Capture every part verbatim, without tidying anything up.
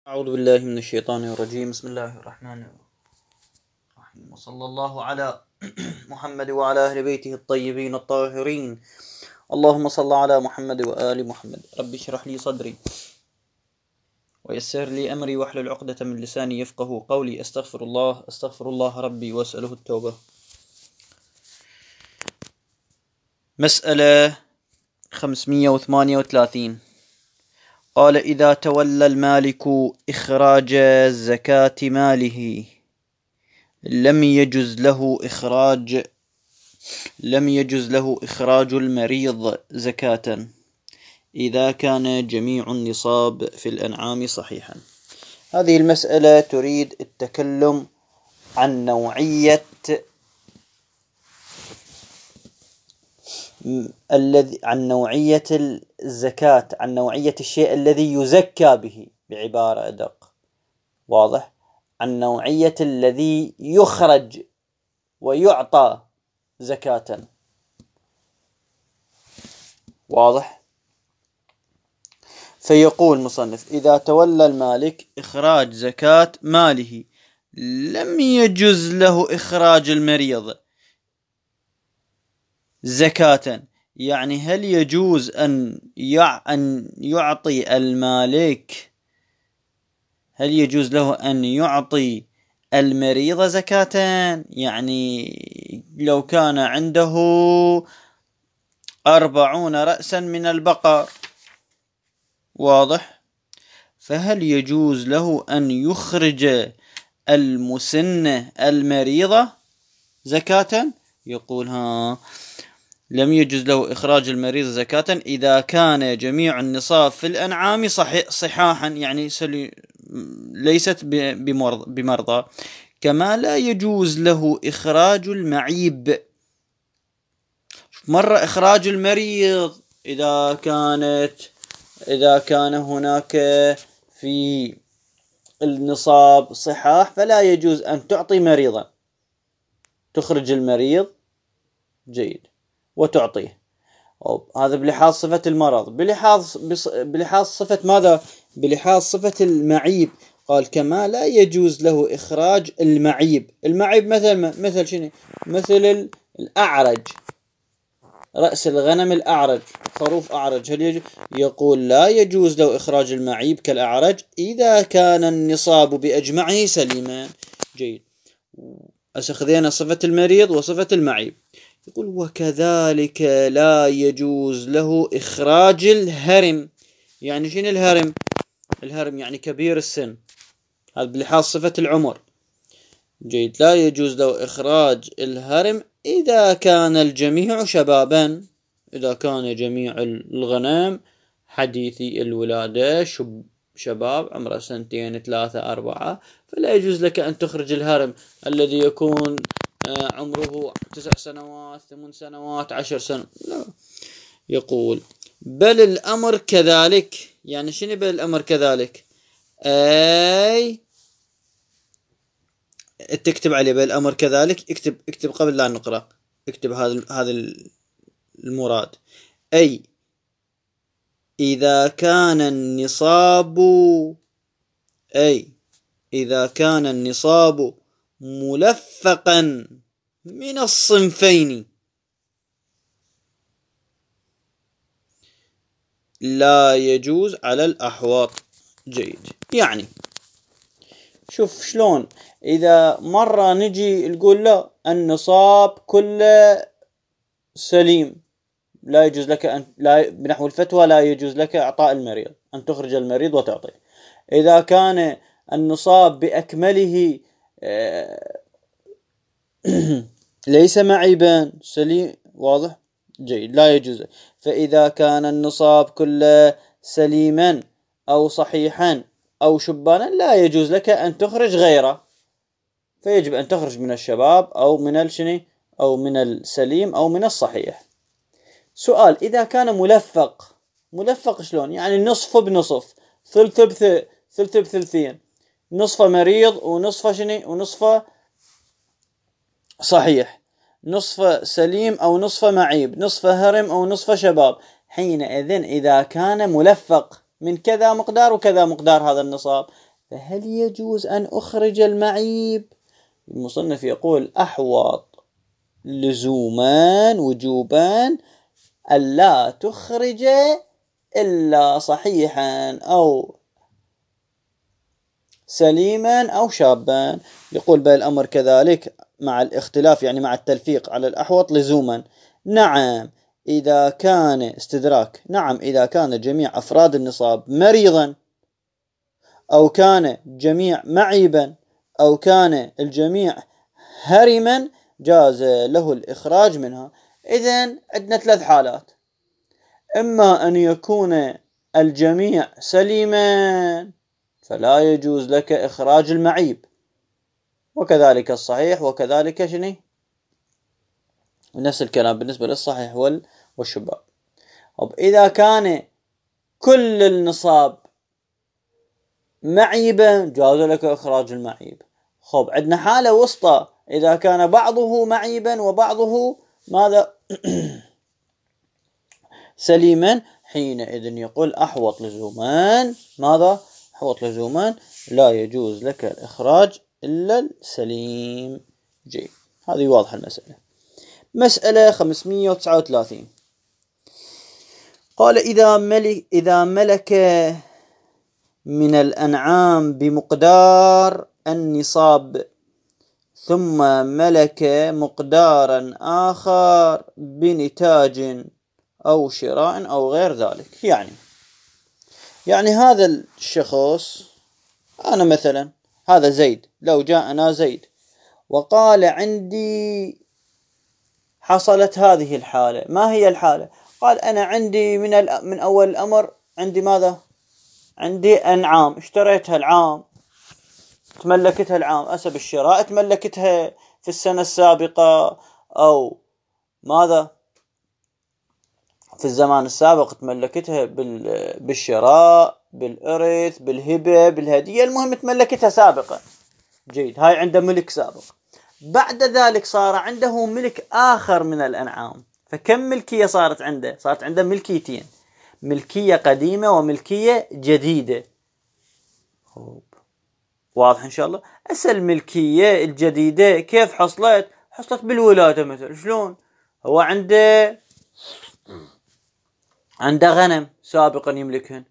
أعوذ بالله من الشيطان الرجيم. بسم الله الرحمن الرحيم، وصلى الله على محمد وعلى أهل بيته الطيبين الطاهرين. اللهم صل على محمد وآل محمد. رب اشرح لي صدري ويسر لي أمري واحلل عقدة من لساني يفقه قولي. أستغفر الله أستغفر الله ربي وأسأله التوبة. مسألة خمسمية وثمانية وثلاثين. قال: إذا تولى المالك إخراج زكاة ماله لم يجز له إخراج لم يجز له إخراج المريض زكاة إذا كان جميع النصاب في الأنعام صحيحا. هذه المسألة تريد التكلم عن نوعية الذي عن نوعية الزكاة، عن نوعية الشيء الذي يزكى به، بعبارة أدق، واضح، عن نوعية الذي يخرج ويعطى زكاة، واضح. فيقول المصنف: إذا تولى المالك إخراج زكاة ماله لم يجز له إخراج المريض زكاة. يعني هل يجوز أن أن يعطي المالك، هل يجوز له أن يعطي المريض زكاة؟ يعني لو كان عنده أربعون رأسا من البقر، واضح، فهل يجوز له أن يخرج المسنة المريضة زكاة؟ يقول ها، لم يجوز له إخراج المريض زكاة إذا كان جميع النصاب في الأنعام صحيح صحاحا، يعني ليست بمرضى. كما لا يجوز له إخراج المعيب. مرة إخراج المريض إذا كانت إذا كان هناك في النصاب صحاح فلا يجوز أن تعطي مريضا، تخرج المريض جيد وتعطيه. هذا بلحاظ صفة المرض، بلحاظ بلحاظ صفة ماذا؟ بلحاظ صفة المعيب. قال: كما لا يجوز له إخراج المعيب. المعيب مثل مثل شنو؟ مثل الأعرج، رأس الغنم الأعرج، خروف أعرج، هل يجوز؟ يقول لا يجوز له إخراج المعيب كالأعرج إذا كان النصاب بأجمعه سليما. جيد، أخذنا صفة المريض وصفة المعيب. يقول: وكذلك لا يجوز له إخراج الهرم. يعني شنو الهرم؟ الهرم يعني كبير السن، هذا بلحاظ صفة العمر. جيد، لا يجوز له إخراج الهرم إذا كان الجميع شبابا، إذا كان جميع الغنم حديثي الولادة، شب شباب عمره سنتين ثلاثة أربعة، فلا يجوز لك أن تخرج الهرم الذي يكون عمره تسع سنوات ثمان سنوات عشر سنوات، لا. يقول: بل الأمر كذلك. يعني شنو بل الأمر كذلك؟ أي تكتب عليه بل الأمر كذلك، اكتب اكتب قبل لا نقرأ، اكتب هذا هذا المراد. أي إذا كان النصاب، أي إذا كان النصاب ملفقا من الصنفين لا يجوز على الأحواط. جيد، يعني شوف شلون إذا مرة نجي نقول لا النصاب كله سليم، لا يجوز لك أن لا، بنحو الفتوى لا يجوز لك إعطاء المريض، أن تخرج المريض وتعطيه. إذا كان النصاب بأكمله ليس معيبا سليم، واضح، جيد، لا يجوز. فإذا كان النصاب كله سليما أو صحيحا أو شبانا لا يجوز لك أن تخرج غيره، فيجب أن تخرج من الشباب أو من الشني أو من السليم أو من الصحيح. سؤال: إذا كان ملفق، ملفق شلون؟ يعني نصف بنصف، ثلث بث ثلث بثلثين، نصف مريض ونصف شني ونصف صحيح، نصف سليم أو نصف معيب، نصف هرم أو نصف شباب. حينئذ إذا كان ملفق من كذا مقدار وكذا مقدار هذا النصاب، فهل يجوز أن أخرج المعيب؟ المصنف يقول أحوط لزوما وجوبا ألا تخرج إلا صحيحا أو سليما أو شابا. يقول بل الأمر كذلك مع الاختلاف، يعني مع التلفيق على الأحوط لزوما. نعم إذا كان استدراك، نعم إذا كان جميع أفراد النصاب مريضا أو كان جميع معيبا أو كان الجميع هرما جاز له الإخراج منها. إذن عندنا ثلاث حالات: إما أن يكون الجميع سليما فلا يجوز لك إخراج المعيب، وكذلك الصحيح، وكذلك شنو نفس الكلام بالنسبة للصحيح والشباب. إذا كان كل النصاب معيبا جاز لك إخراج المعيب. خب عندنا حالة وسطى، إذا كان بعضه معيبا وبعضه ماذا سليما، حينئذ يقول أحوط لزوما، ماذا أحوط لزوما لا يجوز لك الإخراج إلا السليم. جيد، هذه واضحة المسألة. مسألة خمسمئة وتسعة وثلاثين قال إذا ملك إذا ملك من الأنعام بمقدار النصاب ثم ملك مقدارا آخر بنتاج أو شراء أو غير ذلك. يعني يعني هذا الشخص، أنا مثلا هذا زيد، لو جاءنا زيد وقال عندي حصلت هذه الحالة، ما هي الحالة؟ قال أنا عندي من من أول الأمر عندي ماذا؟ عندي أنعام اشتريتها العام، تملكتها العام، أسب الشراء تملكتها في السنة السابقة أو ماذا؟ في الزمان السابق تملكتها بالشراء، بالإرث، بالهبة، بالهدية، المهم تملكتها سابقا. جيد، هاي عنده ملك سابق. بعد ذلك صار عنده ملك آخر من الأنعام، فكم ملكية صارت عنده؟ صارت عنده ملكيتين، ملكية قديمة وملكية جديدة. واضح إن شاء الله. هسه الملكية الجديدة كيف حصلت؟ حصلت بالولادة مثلا. شلون؟ هو عنده عنده غنم سابقا يملكهن،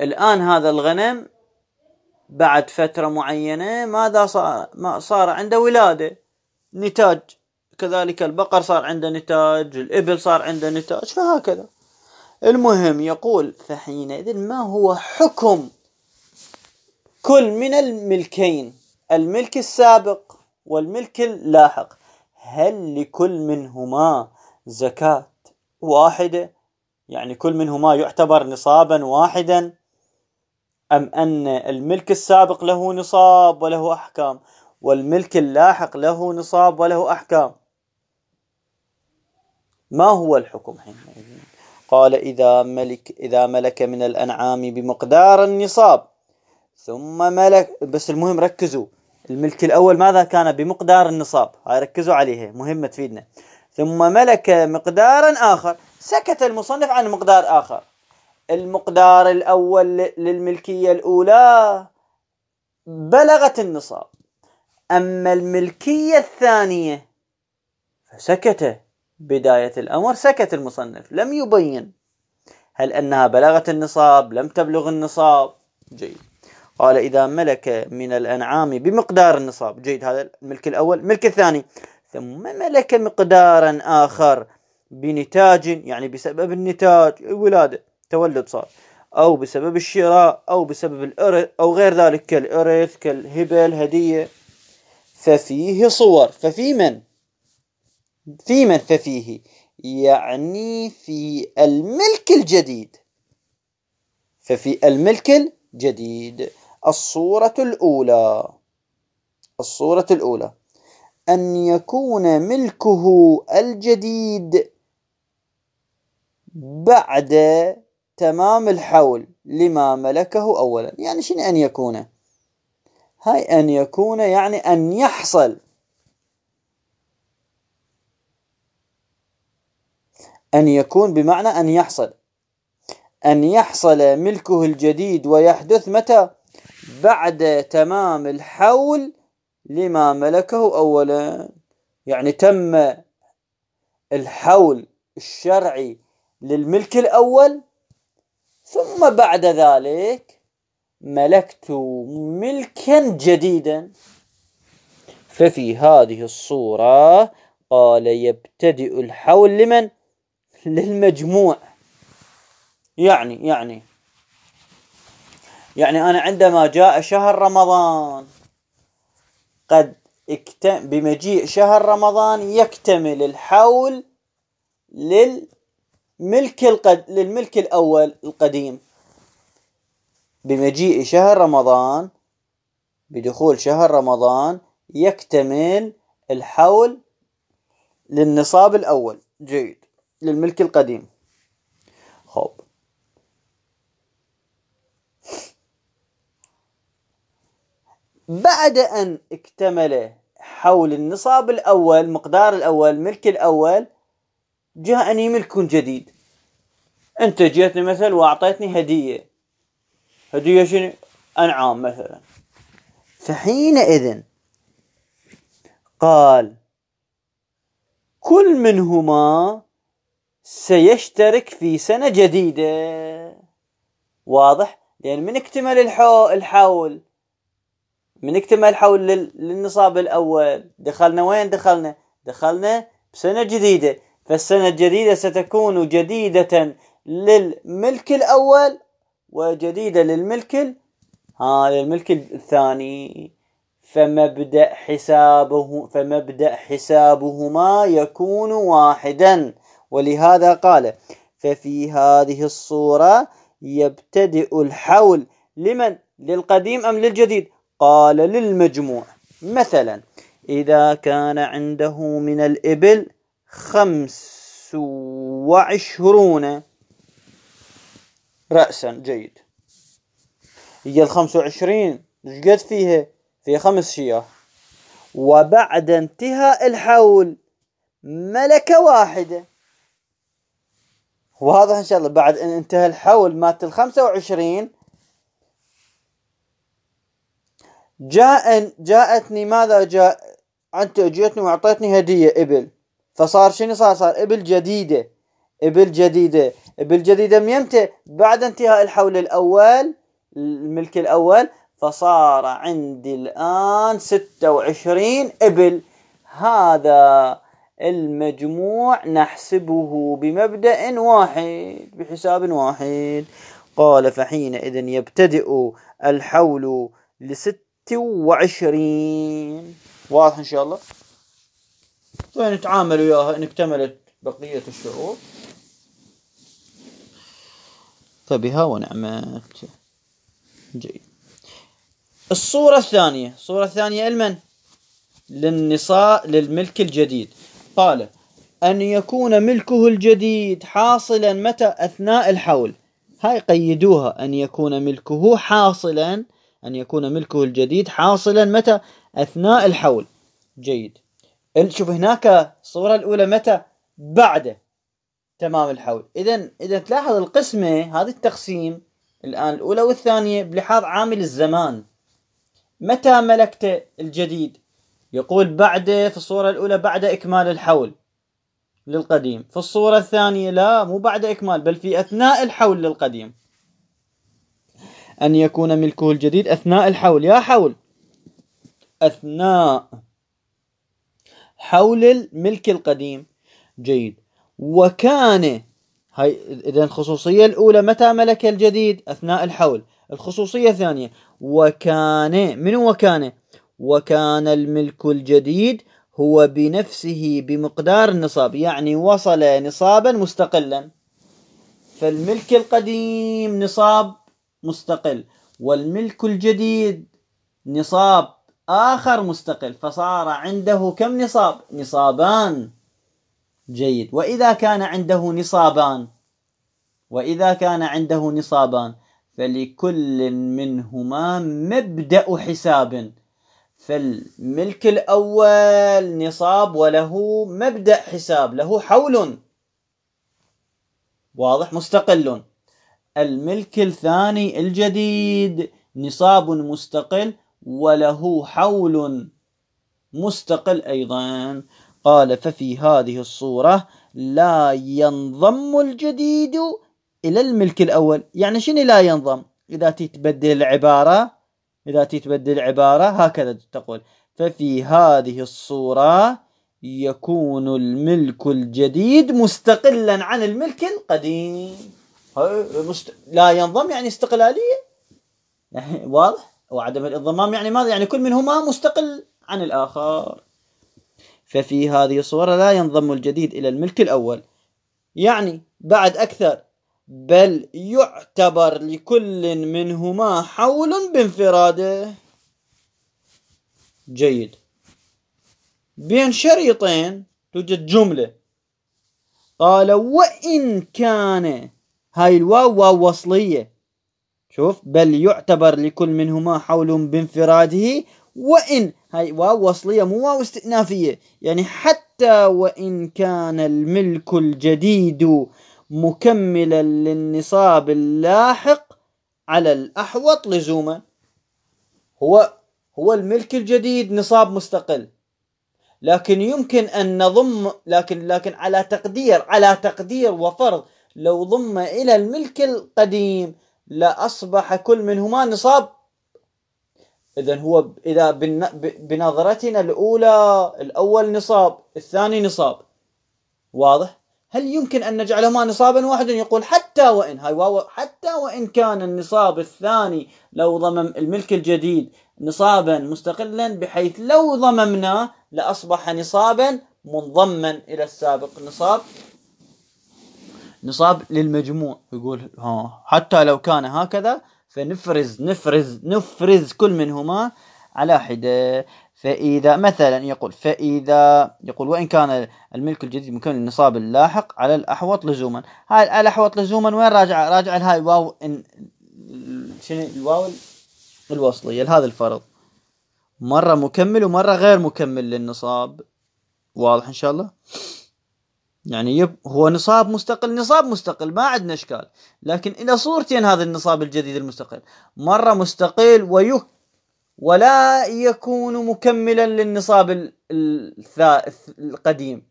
الآن هذا الغنم بعد فترة معينة ماذا صار؟ ما صار عنده ولادة، نتاج. كذلك البقر صار عنده نتاج، الإبل صار عنده نتاج، فهكذا. المهم يقول فحينئذ ما هو حكم كل من الملكين، الملك السابق والملك اللاحق؟ هل لكل منهما زكاة واحدة؟ يعني كل منهما يعتبر نصابا واحدا، أم أن الملك السابق له نصاب وله أحكام والملك اللاحق له نصاب وله أحكام؟ ما هو الحكم حينئذ؟ قال إذا ملك إذا ملك من الأنعام بمقدار النصاب ثم ملك، بس المهم ركزوا، الملك الأول ماذا كان؟ بمقدار النصاب، هاي ركزوا عليها مهمة تفيدنا. ثم ملك مقدارا آخر، سكت المصنف عن مقدار آخر. المقدار الأول للملكية الأولى بلغت النصاب، أما الملكية الثانية فسكت بداية الأمر، سكت المصنف لم يبين هل أنها بلغت النصاب لم تبلغ النصاب. جيد. قال إذا ملك من الأنعام بمقدار النصاب، جيد، هذا الملك الأول. الملك الثاني ثم ملك مقدارا آخر بنتاج، يعني بسبب النتاج الولادة تولد صار، أو بسبب الشراء أو بسبب الإرث أو غير ذلك كالإرث كالهبة الهدية، ففيه صور. ففي من؟ في من ففيه؟ يعني في الملك الجديد. ففي الملك الجديد الصورة الأولى، الصورة الأولى أن يكون ملكه الجديد بعد تمام الحول لما ملكه أولا. يعني شنو أن يكون؟ هاي أن يكون يعني أن يحصل، أن يكون بمعنى أن يحصل، أن يحصل ملكه الجديد ويحدث متى؟ بعد تمام الحول لما ملكه أولا. يعني تم الحول الشرعي للملك الأول، ثم بعد ذلك ملكت ملكا جديدا. ففي هذه الصورة قال يبتدئ الحول لمن؟ للمجموع. يعني يعني يعني أنا عندما جاء شهر رمضان قد اكتم بمجيء شهر رمضان يكتمل الحول للملك القد للملك الأول القديم. بمجيء شهر رمضان، بدخول شهر رمضان يكتمل الحول للنصاب الأول، جيد، للملك القديم. خب بعد أن اكتمل حول النصاب الأول، مقدار الأول، ملك الأول، جاءني ملك جديد. أنت جيتني مثلا وأعطيتني هدية، هدية شنو؟ أنعام مثلا. فحينئذ قال كل منهما سيشترك في سنة جديدة. واضح؟ لأن من اكتمل الحول، من اكتمل الحول للنصاب الأول دخلنا وين؟ دخلنا دخلنا بسنة جديدة، فالسنة الجديدة ستكون جديدة للملك الأول وجديدة للملك ها للملك الثاني. فمبدأ حسابه فمبدأ حسابهما يكون واحدا. ولهذا قال ففي هذه الصورة يبتدئ الحول لمن؟ للقديم أم للجديد؟ قال للمجموع. مثلا إذا كان عنده من الإبل خمس وعشرون رأسا، جيد، هي الخمس وعشرين ايش قد فيها؟ في خمس شياه. وبعد انتهاء الحول ملكة واحدة. وهذا إن شاء الله بعد أن انتهى الحول مات الخمسة وعشرين جاء جاءتني ماذا جاء؟ أنت جيتني وأعطيتني هدية إبل، فصار شنو صار؟ صار إبل جديدة، إبل جديدة، إبل جديدة من يمتى؟ بعد انتهاء الحول الأول، الملك الأول، فصار عندي الآن ستة وعشرين إبل. هذا المجموع نحسبه بمبدأ واحد، بحساب واحد. قال فحينئذ يبتدئ الحول لست وعشرين. واضح إن شاء الله؟ فنتعامل وياها إن اكتملت بقية الشروط فبها ونعمت. جيد. الصورة الثانية، الصورة الثانية لمن؟ للنصاء، للملك الجديد. قال أن يكون ملكه الجديد حاصلا متى؟ أثناء الحول. هاي قيدوها، أن يكون ملكه حاصلا، أن يكون ملكه الجديد حاصلا متى؟ أثناء الحول. جيد. شوف هناك الصورة الأولى متى؟ بعد تمام الحول. إذا إذا تلاحظ القسمة، هذا التقسيم الآن الأولى والثانية بلحاظ عامل الزمان. متى ملكت الجديد؟ يقول بعد، في الصورة الأولى بعد إكمال الحول للقديم، في الصورة الثانية لا، مو بعد إكمال بل في أثناء الحول للقديم. أن يكون ملكه الجديد أثناء الحول، يا حول، أثناء حول الملك القديم. جيد. وكان هاي إذن الخصوصية الأولى متى ملك الجديد؟ أثناء الحول. الخصوصية الثانية وكان من وكان وكان الملك الجديد هو بنفسه بمقدار النصاب، يعني وصل نصابا مستقلا. فالملك القديم نصاب مستقل، والملك الجديد نصاب آخر مستقل، فصار عنده كم نصاب؟ نصابان. جيد. وإذا كان عنده نصابان، وإذا كان عنده نصابان فلكل منهما مبدأ حساب. فالملك الأول نصاب وله مبدأ حساب، له حول واضح مستقل. الملك الثاني الجديد نصاب مستقل وله حول مستقل أيضا. قال ففي هذه الصورة لا ينضم الجديد إلى الملك الأول. يعني شنو لا ينضم؟ إذا تتبدل العبارة، إذا تتبدل العبارة هكذا تقول: ففي هذه الصورة يكون الملك الجديد مستقلا عن الملك القديم. لا ينضم يعني استقلالية، يعني واضح؟ وعدم الانضمام يعني ماذا؟ يعني كل منهما مستقل عن الآخر. ففي هذه الصورة لا ينضم الجديد إلى الملك الأول، يعني بعد أكثر، بل يعتبر لكل منهما حول بانفراده. جيد. بين شريطين توجد جملة. قال وإن كان، هاي الواو واو وصلية، شوف، بل يعتبر لكل منهما حول بانفراده، وإن، هاي واو وصلية مو واو استئنافية، يعني حتى وإن كان الملك الجديد مكملا للنصاب اللاحق على الأحوط لزوما. هو هو الملك الجديد نصاب مستقل، لكن يمكن أن نضم، لكن لكن على تقدير، على تقدير وفرض لو ضم إلى الملك القديم لأصبح كل منهما نصاب. إذن هو إذا بنظرتنا الأولى الأول نصاب، الثاني نصاب، واضح؟ هل يمكن أن نجعلهما نصابا واحدا؟ يقول حتى وإن، هاي واو، حتى وإن كان النصاب الثاني لو ضمم الملك الجديد نصابا مستقلا، بحيث لو ضممناه لأصبح نصابا منضما إلى السابق، نصاب نصاب للمجموع. يقول ها حتى لو كان هكذا فنفرز نفرز نفرز كل منهما على حدة. فإذا مثلا يقول فإذا يقول وإن كان الملك الجديد مكمل النصاب اللاحق على الأحوط لزوما. هاي على الأحوط لزوما وين راجع؟ راجع لهاي واو إن شنو الواو الوصلية لهذا الفرض، مرة مكمل ومرة غير مكمل للنصاب. واضح إن شاء الله؟ يعني يب هو نصاب مستقل، نصاب مستقل ما عندنا إشكال، لكن إلى صورتين هذا النصاب الجديد المستقل، مرة مستقل ويك ولا يكون مكملا للنصاب القديم،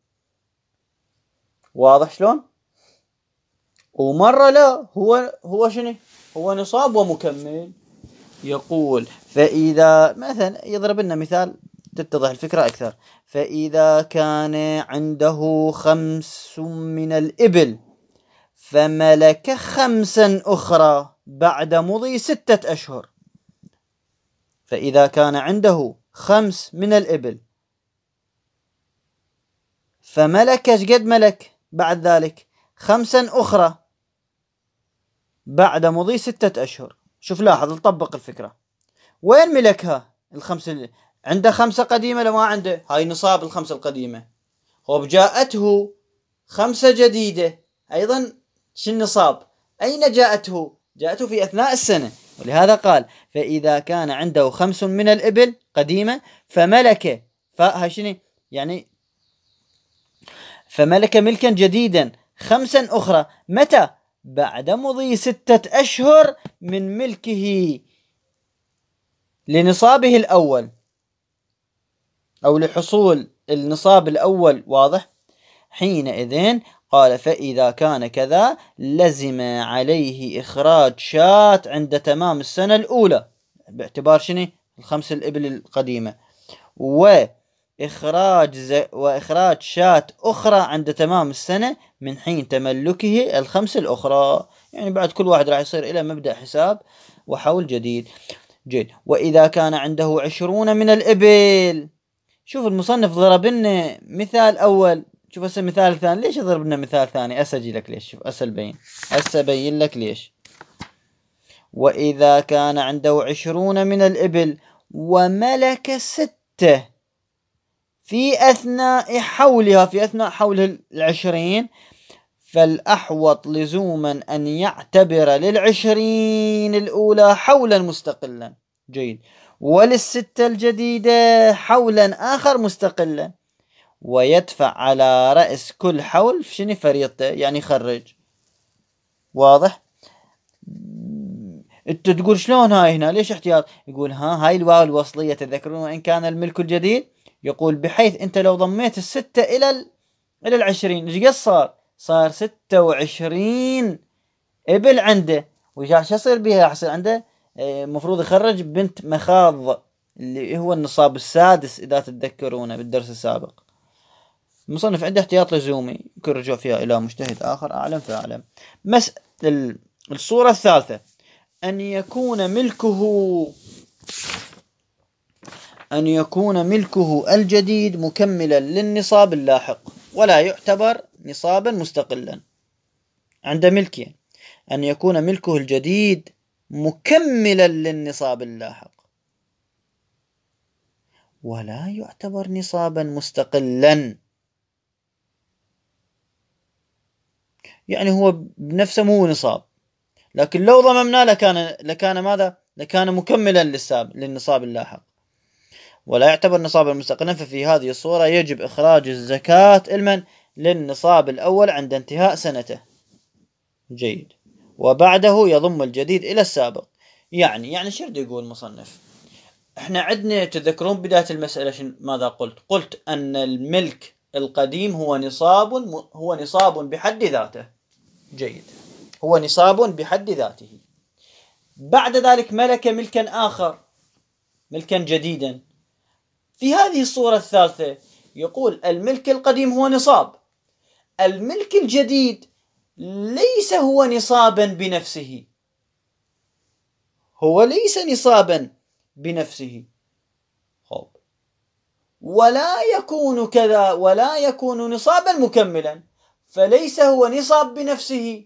واضح شلون؟ ومرة لا، هو هو شنو؟ هو نصاب ومكمل. يقول فإذا مثلا يضرب لنا مثال تتضح الفكرة أكثر. فإذا كان عنده خمس من الإبل فملك خمسا أخرى بعد مضي ستة أشهر. فإذا كان عنده خمس من الإبل فملك، ايش قد ملك بعد ذلك؟ خمسا أخرى بعد مضي ستة أشهر. شوف لاحظ، نطبق الفكرة. وين ملكها الخمس؟ عنده خمسة قديمة لو ما عنده؟ هاي نصاب الخمسة القديمة. هو جاءته خمسة جديدة أيضا، شو النصاب؟ أين جاءته؟ جاءته في أثناء السنة، ولهذا قال فإذا كان عنده خمس من الإبل قديمة فملك، فهاي شنو يعني؟ فملك ملكا جديدا خمسا أخرى، متى؟ بعد مضي ستة أشهر من ملكه لنصابه الأول أو لحصول النصاب الأول، واضح؟ حينئذ قال فإذا كان كذا لزم عليه إخراج شاة عند تمام السنة الأولى باعتبار شنو؟ الخمس الإبل القديمة، وإخراج ز... وإخراج شاة أخرى عند تمام السنة من حين تملكه الخمس الأخرى. يعني بعد كل واحد راح يصير إلى مبدأ حساب وحول جديد. جيد. وإذا كان عنده عشرون من الإبل، شوف المصنف ضرب لنا مثال أول، شوف هسه مثال ثاني. ليش يضرب لنا مثال ثاني؟ هسه اجي لك ليش. شوف هسه البين، هسه ابين لك ليش. وإذا كان عنده عشرون من الإبل وملك ستة في أثناء حولها، في أثناء حول العشرين، فالأحوط لزوما أن يعتبر للعشرين الأولى حولا مستقلا. جيد. وللستة الجديدة حولا آخر مستقلا، ويدفع على رأس كل حول شنو فريضته، يعني يخرج. واضح؟ انت تقول شلون هاي هنا ليش احتياط؟ يقول ها هاي الواو الوصلية، تذكرون وإن كان الملك الجديد، يقول بحيث انت لو ضميت الستة الى ال... الى العشرين ايش قد صار؟ صار ستة وعشرين ابل عنده. وش يصير بها؟ راح يصير عنده المفروض يخرج بنت مخاض اللي هو النصاب السادس اذا تتذكرونه بالدرس السابق. المصنف عنده احتياط لزومي، يمكن رجوع فيها الى مجتهد اخر اعلم فاعلم. مس الصورة الثالثة ان يكون ملكه أن يكون ملكه الجديد مكملا للنصاب اللاحق ولا يعتبر نصابا مستقلا عند ملكه. أن يكون ملكه الجديد مكملا للنصاب اللاحق ولا يعتبر نصابا مستقلا، يعني هو بنفسه مو نصاب، لكن لو ضممناه لكان لكان ماذا؟ لكان مكملا للنصاب اللاحق ولا يعتبر نصابا مستقلا. ففي هذه الصورة يجب إخراج الزكاة المن للنصاب الأول عند انتهاء سنته. جيد. وبعده يضم الجديد إلى السابق. يعني يعني شو يريد يقول المصنف؟ احنا عندنا تذكرون بداية المسألة ماذا قلت؟ قلت أن الملك القديم هو نصاب هو نصاب بحد ذاته. جيد. هو نصاب بحد ذاته. بعد ذلك ملك ملكا آخر، ملكا جديدا. في هذه الصورة الثالثة يقول الملك القديم هو نصاب، الملك الجديد ليس هو نصابا بنفسه، هو ليس نصابا بنفسه، خب ولا يكون كذا ولا يكون نصابا مكملا، فليس هو نصاب بنفسه.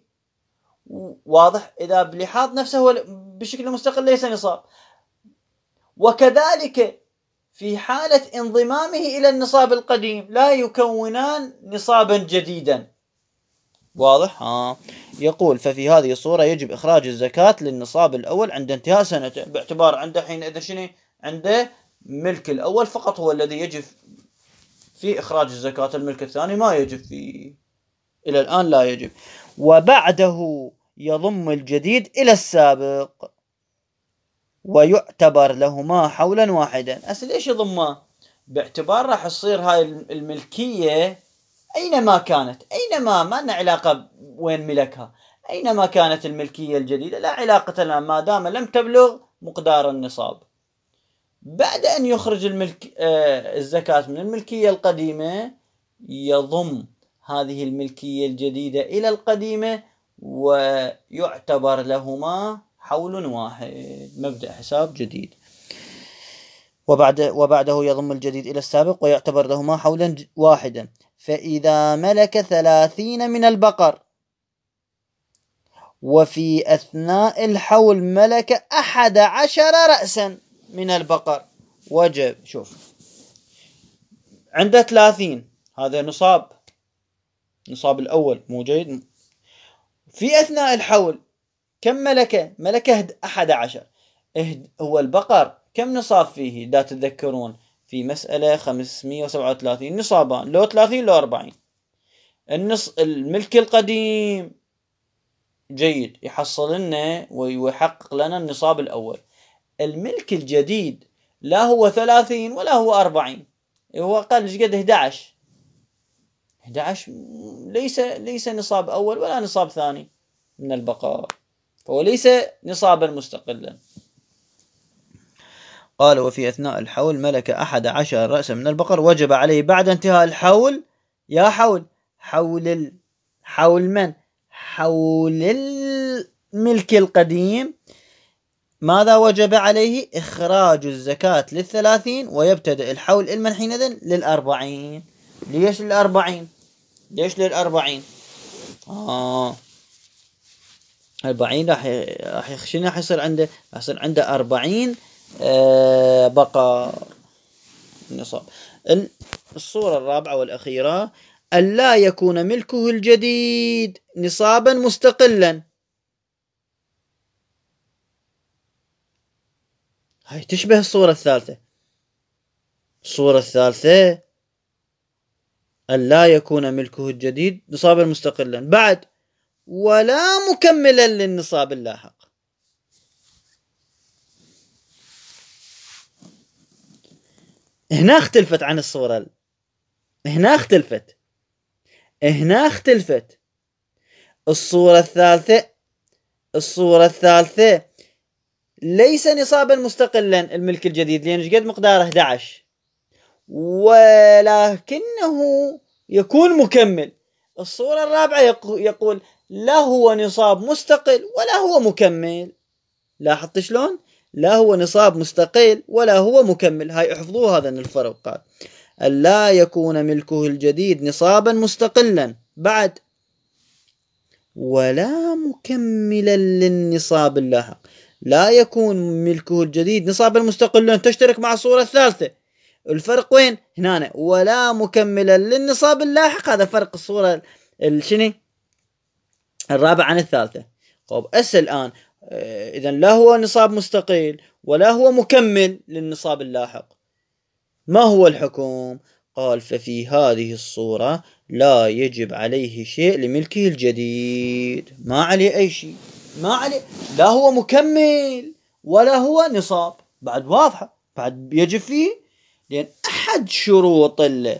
واضح؟ إذا بلحاظ نفسه هو بشكل مستقل ليس نصاب. وكذلك في حالة انضمامه إلى النصاب القديم لا يكونان نصابا جديدا. واضح؟ آه. يقول ففي هذه الصورة يجب إخراج الزكاة للنصاب الأول عند انتهاء سنته، باعتبار عنده حينئذ شنو؟ عنده ملك الأول فقط هو الذي يجب في إخراج الزكاة، الملك الثاني ما يجب فيه إلى الآن، لا يجب. وبعده يضم الجديد إلى السابق ويعتبر لهما حولا واحدا. أصل ليش يضمه؟ باعتبار راح تصير هاي الملكية أينما كانت، أينما، ما لنا علاقة وين ملكها، أينما كانت الملكية الجديدة لا علاقة لنا ما دام لم تبلغ مقدار النصاب. بعد أن يخرج الملك آه الزكاة من الملكية القديمة يضم هذه الملكية الجديدة إلى القديمة ويعتبر لهما حول واحد، مبدأ حساب جديد. وبعد وبعده يضم الجديد إلى السابق ويعتبر لهما حولا واحدا. فإذا ملك ثلاثين من البقر وفي أثناء الحول ملك أحد عشر رأسا من البقر وجب. شوف عنده ثلاثين، هذا نصاب، نصاب الأول مو جيد. في أثناء الحول كم ملكه؟ ملكه أحد عشر. هو البقر كم نصاب فيه؟ دا تتذكرون في مسألة خمسمية وسبعة وثلاثين نصابان، لو ثلاثين لو أربعين. النص الملك القديم جيد يحصل لنا ويحقق لنا النصاب الأول. الملك الجديد لا هو ثلاثين ولا هو أربعين، هو أقل ايش قد؟ أحد عشر. أحد عشر ليس ليس نصاب أول ولا نصاب ثاني من البقاء، فهو ليس نصابا مستقلا. قال وفي أثناء الحول ملك أحد عشر رأسا من البقر وجب عليه بعد انتهاء الحول، يا حول، حول ال... حول من؟ حول الملك القديم. ماذا وجب عليه؟ إخراج الزكاة للثلاثين ويبتدئ الحول المن حينئذ للأربعين. ليش للأربعين؟ ليش للأربعين؟ آه أربعين راح راح شنو راح يصير عنده؟ راح يصير عنده أربعين آه بقر النصاب. الصورة الرابعة والأخيرة ألا يكون ملكه الجديد نصابا مستقلا. هاي تشبه الصورة الثالثة. الصورة الثالثة ألا يكون ملكه الجديد نصابا مستقلا بعد ولا مكملا للنصاب اللاحق. هنا اختلفت عن الصورة، هنا اختلفت، هنا اختلفت. الصورة الثالثة، الصورة الثالثة ليس نصابا مستقلا الملك الجديد، لأن ايش قد مقداره؟ أحد عشر، ولكنه يكون مكمل. الصورة الرابعة يقول لا هو نصاب مستقل ولا هو مكمل. لاحظت شلون؟ لا هو نصاب مستقل ولا هو مكمل. هاي احفظوه هذا الفرق، ألا يكون ملكه الجديد نصابا مستقلا بعد ولا مكملا للنصاب اللاحق. لا يكون ملكه الجديد نصابا مستقلا، تشترك مع الصورة الثالثة. الفرق وين؟ هنا، ولا مكملا للنصاب اللاحق. هذا فرق الصورة الشني الرابعة عن الثالثة. طب أسأل الآن، إذا لا هو نصاب مستقل ولا هو مكمل للنصاب اللاحق، ما هو الحكم؟ قال ففي هذه الصورة لا يجب عليه شيء لملكه الجديد، ما عليه أي شيء، ما عليه، لا هو مكمل ولا هو نصاب. بعد واضحة، بعد يجب فيه، لأن أحد شروط ال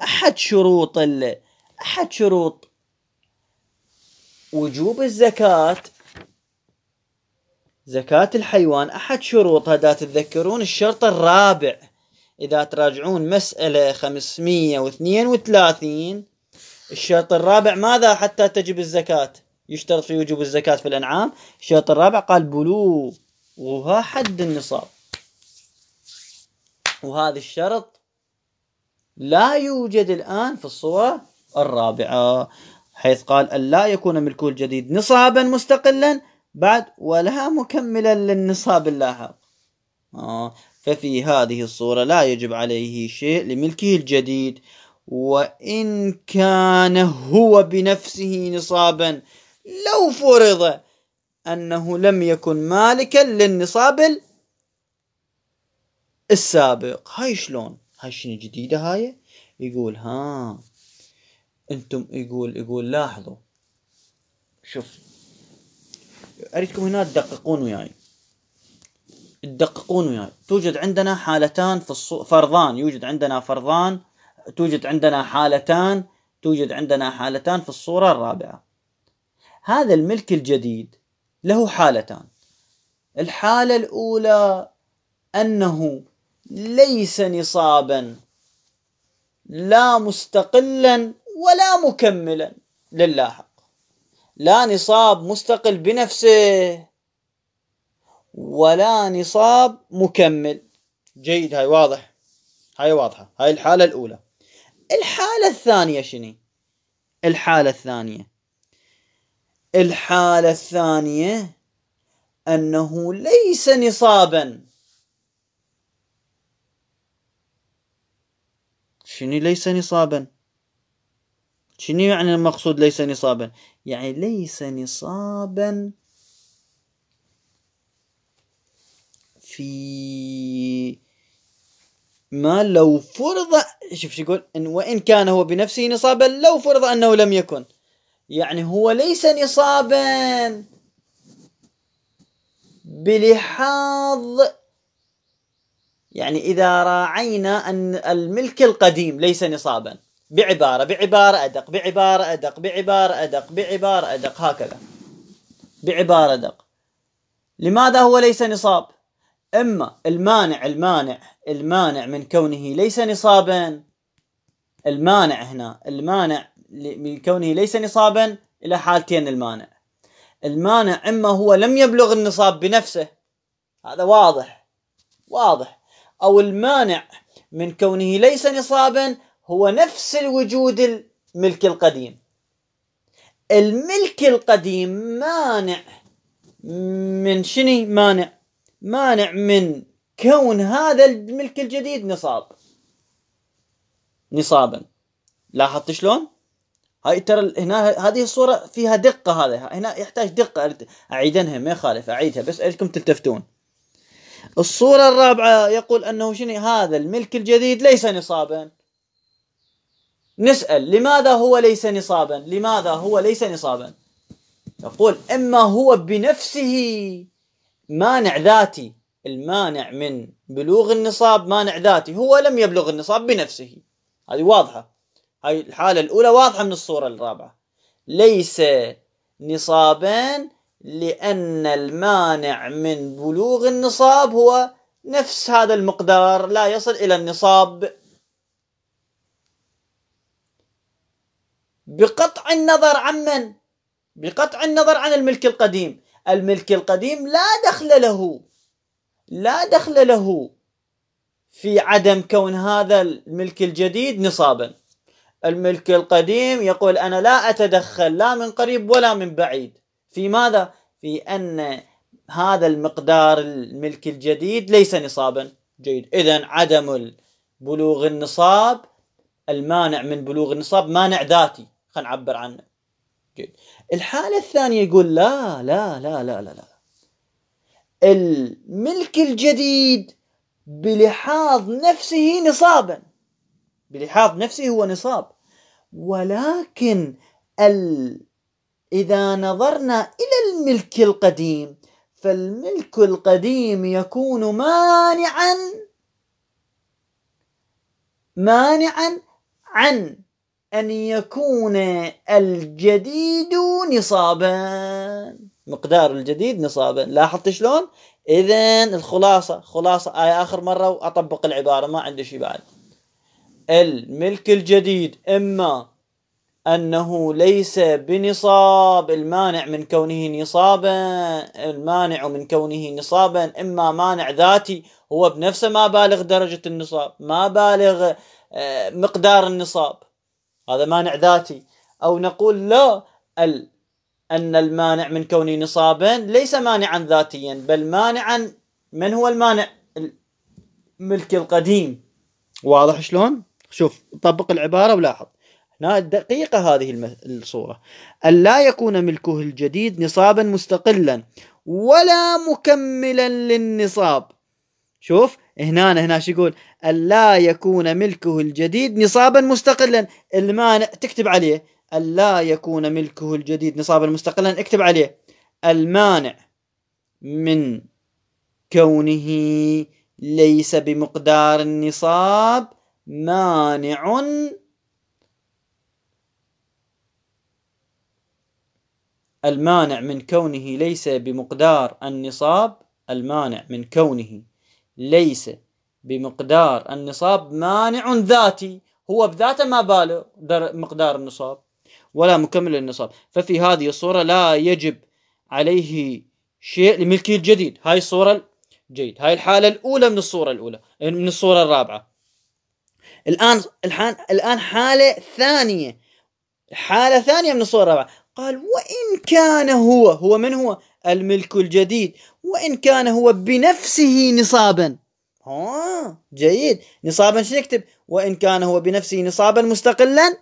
أحد شروط ال أحد شروط وجوب الزكاة، زكاة الحيوان، أحد شروطها، إذا تتذكرون الشرط الرابع، إذا تراجعون مسألة خمسمية واثنين وثلاثين، الشرط الرابع ماذا حتى تجب الزكاة؟ يشترط في وجوب الزكاة في الأنعام، الشرط الرابع قال بلوغها حد النصاب، وهذا الشرط لا يوجد الآن في الصورة الرابعة، حيث قال أن لا يكون ملكه الجديد نصابا مستقلا بعد ولا مكملا للنصاب اللاحق. آه. ففي هذه الصورة لا يجب عليه شيء لملكه الجديد، وإن كان هو بنفسه نصابا لو فرض أنه لم يكن مالكا للنصاب السابق. هاي شلون؟ هاي شنو جديدة هاي؟ يقول ها انتم، يقول يقول لاحظوا، شوف اريدكم هنا تدققون وياي، تدققون وياي. توجد عندنا حالتان في الصو... فرضان، يوجد عندنا فرضان، توجد عندنا حالتان، توجد عندنا حالتان في الصورة الرابعة. هذا الملك الجديد له حالتان. الحالة الأولى أنه ليس نصابا لا مستقلا ولا مكملا للاحق، لا نصاب مستقل بنفسه ولا نصاب مكمل. جيد، هاي واضح، هاي واضحة، هاي الحالة الأولى. الحالة الثانية شنو؟ الحالة الثانية، الحالة الثانية أنه ليس نصابا. شنو ليس نصابا؟ شنو يعني المقصود ليس نصابا؟ يعني ليس نصابا في ما لو فرض، شوف شو يقول، إن وإن كان هو بنفسه نصابا لو فرض أنه لم يكن، يعني هو ليس نصابا بلحاظ، يعني إذا راعينا أن الملك القديم ليس نصابا، بعبارة بعبارة أدق، بعبارة أدق، بعبارة أدق، بعبارة أدق، هكذا بعبارة أدق. لماذا هو ليس نصاب؟ إما المانع المانع المانع من كونه ليس نصابا، المانع هنا المانع من كونه ليس نصابا إلى حالتين. المانع المانع إما هو لم يبلغ النصاب بنفسه، هذا واضح واضح، أو المانع من كونه ليس نصابا هو نفس الوجود الملك القديم. الملك القديم مانع من شنو؟ مانع مانع من كون هذا الملك الجديد نصاب نصابا. لاحظت شلون؟ هاي ترى هنا هذه الصورة فيها دقة، هذا هنا يحتاج دقة، أعيدنها ما يخالف أعيدها بس أريدكم تلتفتون. الصورة الرابعة يقول أنه شنو؟ هذا الملك الجديد ليس نصابا. نسأل لماذا هو ليس نصابا؟ لماذا هو ليس نصابا؟ يقول إما هو بنفسه مانع ذاتي، المانع من بلوغ النصاب مانع ذاتي، هو لم يبلغ النصاب بنفسه. هذه واضحة، هاي الحالة الأولى واضحة من الصورة الرابعة. ليس نصابا لأن المانع من بلوغ النصاب هو نفس هذا المقدار، لا يصل إلى النصاب. بقطع النظر عن من؟ بقطع النظر عن الملك القديم. الملك القديم لا دخل له، لا دخل له في عدم كون هذا الملك الجديد نصابا. الملك القديم يقول أنا لا أتدخل لا من قريب ولا من بعيد في ماذا؟ في أن هذا المقدار الملك الجديد ليس نصابا. جيد. إذن عدم بلوغ النصاب، المانع من بلوغ النصاب مانع ذاتي، خلينا نعبر عنه. جيد. الحالة الثانية يقول لا لا لا لا لا لا، الملك الجديد بلحاظ نفسه نصابا، بلحاظ نفسه هو نصاب، ولكن ال... إذا نظرنا إلى الملك القديم فالملك القديم يكون مانعا مانعا عن أن يكون الجديد نصابا، مقدار الجديد نصابا. لاحظت شلون؟ إذن الخلاصة، خلاصة آية آخر مرة وأطبق العبارة، ما عندي شيء بعد. الملك الجديد إما أنه ليس بنصاب، المانع من كونه نصابا، المانع من كونه نصابا إما مانع ذاتي، هو بنفسه ما بالغ درجة النصاب، ما بالغ مقدار النصاب، هذا مانع ذاتي. أو نقول لا، ال أن المانع من كونه نصابا ليس مانعا ذاتيا، بل مانعا، من هو المانع؟ الملك القديم. واضح شلون؟ شوف طبق العبارة ولاحظ هنا دقيقة هذه الصورة. ألا يكون ملكه الجديد نصابا مستقلا ولا مكملا للنصاب. شوف هنا هنا شو يقول؟ ألا يكون ملكه الجديد نصابا مستقلا. المانع تكتب عليه ألا يكون ملكه الجديد نصابا مستقلا، اكتب عليه المانع من كونه ليس بمقدار النصاب مانع المانع من كونه ليس بمقدار النصاب المانع من كونه ليس بمقدار النصاب مانع ذاتي، هو بذاته ما باله مقدار النصاب ولا مكمل للنصاب. ففي هذه الصورة لا يجب عليه شيء لملكه الجديد. هاي الصورة جيد، هاي الحالة الأولى من الصورة الأولى من الصورة الرابعة. الآن الآن الآن حالة ثانية، حالة ثانية من الصورة الرابعة. قال وإن كان هو، هو من هو؟ الملك الجديد، وإن كان هو بنفسه نصابا. ها جيد، نصابا شو نكتب؟ وإن كان هو بنفسه نصابا مستقلا،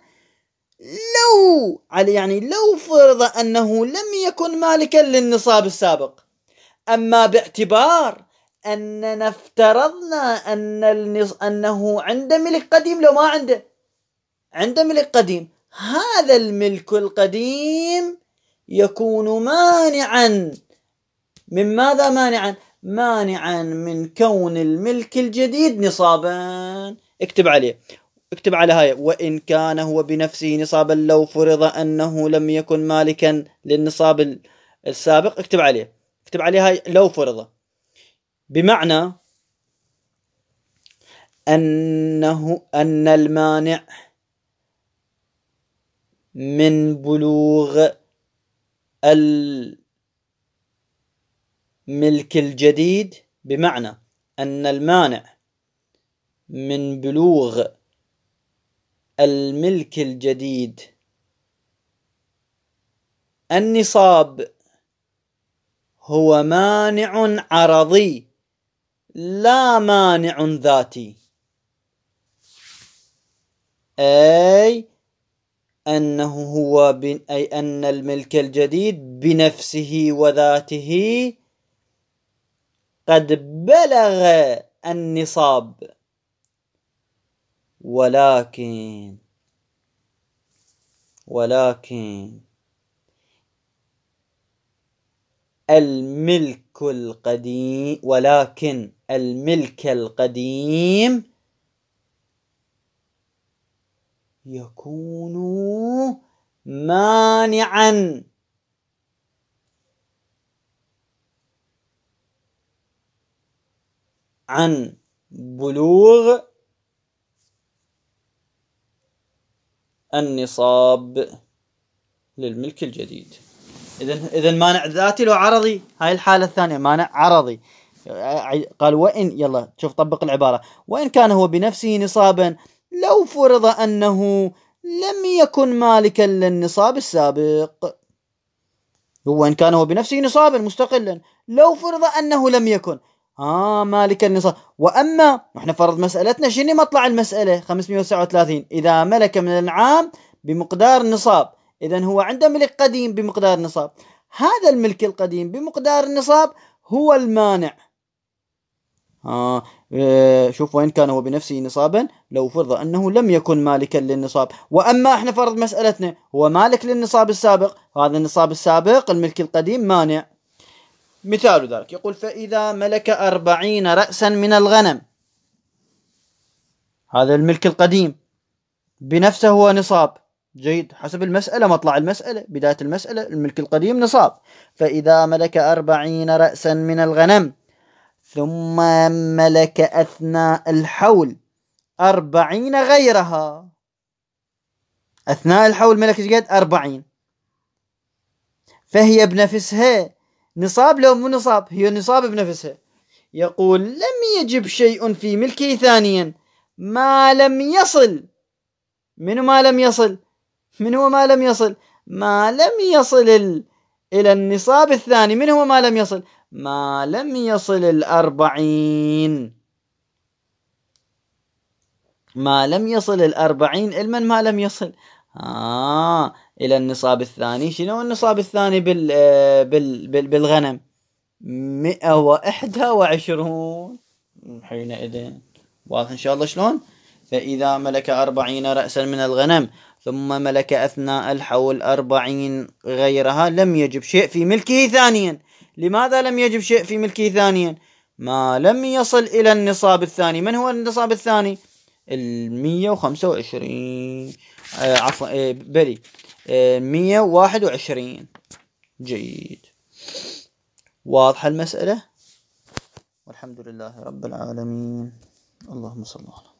لو على يعني لو فرض أنه لم يكن مالكا للنصاب السابق. أما باعتبار أننا افترضنا أن النص... أنه عنده ملك قديم، لو ما عنده عنده ملك قديم، هذا الملك القديم يكون مانعا من ماذا؟ مانعا مانعا من كون الملك الجديد نصابا. اكتب عليه، اكتب على هاي وإن كان هو بنفسه نصابا لو فرض أنه لم يكن مالكا للنصاب السابق. اكتب عليه، اكتب عليه هاي لو فرض، بمعنى أنه أن المانع من بلوغ الملك الجديد، بمعنى أن المانع من بلوغ الملك الجديد النصاب هو مانع عرضي لا مانع ذاتي، أي أنه هو بن أي أن الملك الجديد بنفسه وذاته قد بلغ النصاب، ولكن ولكن الملك القديم، ولكن الملك القديم يكون مانعا عن بلوغ النصاب للملك الجديد. إذن إذن مانع ذاتي لو عرضي، هاي الحالة الثانية مانع عرضي. قال وإن، يلا شوف طبق العبارة، وإن كان هو بنفسه نصابا لو فرض أنه لم يكن مالكا للنصاب السابق. هو إن كان هو بنفسه نصابا مستقلا لو فرض أنه لم يكن آه مالك النصاب. وأما احنا فرض مسألتنا شنو مطلع المسألة خمسمئة وتسعة وثلاثين، إذا ملك من الأنعام بمقدار النصاب، إذن هو عنده ملك قديم بمقدار النصاب، هذا الملك القديم بمقدار النصاب هو المانع. آه شوف وإن كان هو بنفسه نصابا لو فرض أنه لم يكن مالكا للنصاب. وأما احنا فرض مسألتنا هو مالك للنصاب السابق، هذا النصاب السابق الملك القديم مانع. مثال ذلك يقول فإذا ملك أربعين رأسا من الغنم، هذا الملك القديم بنفسه هو نصاب، جيد حسب المسألة، مطلع المسألة بداية المسألة الملك القديم نصاب. فإذا ملك أربعين رأسا من الغنم ثم ملك أثناء الحول أربعين غيرها، أثناء الحول ملك قد أربعين، فهي بنفسها نصاب لو مو نصاب، هي نصاب بنفسها. يقول لم يجب شيء في ملكه ثانيا ما لم يصل، من ما لم يصل، من هو ما لم يصل؟ ما لم يصل ال... إلى النصاب الثاني، من هو ما لم يصل؟ ما لم يصل الأربعين، ما لم يصل الأربعين، المن ما لم يصل آه إلى النصاب الثاني. شنو النصاب الثاني بال... بال... بال... بالغنم؟ مئة وإحدى وعشرون حينئذ. واضح إن شاء الله شلون؟ فإذا ملك أربعين رأسا من الغنم ثم ملك أثناء الحول أربعين غيرها لم يجب شيء في ملكه ثانيا. لماذا لم يجب شيء في ملكه ثانيا؟ ما لم يصل إلى النصاب الثاني. من هو النصاب الثاني؟ المية وخمسة وعشرين، آه عفوا آه بلي آه مية وواحد وعشرين. جيد، واضحة المسألة؟ والحمد لله رب العالمين، اللهم صل على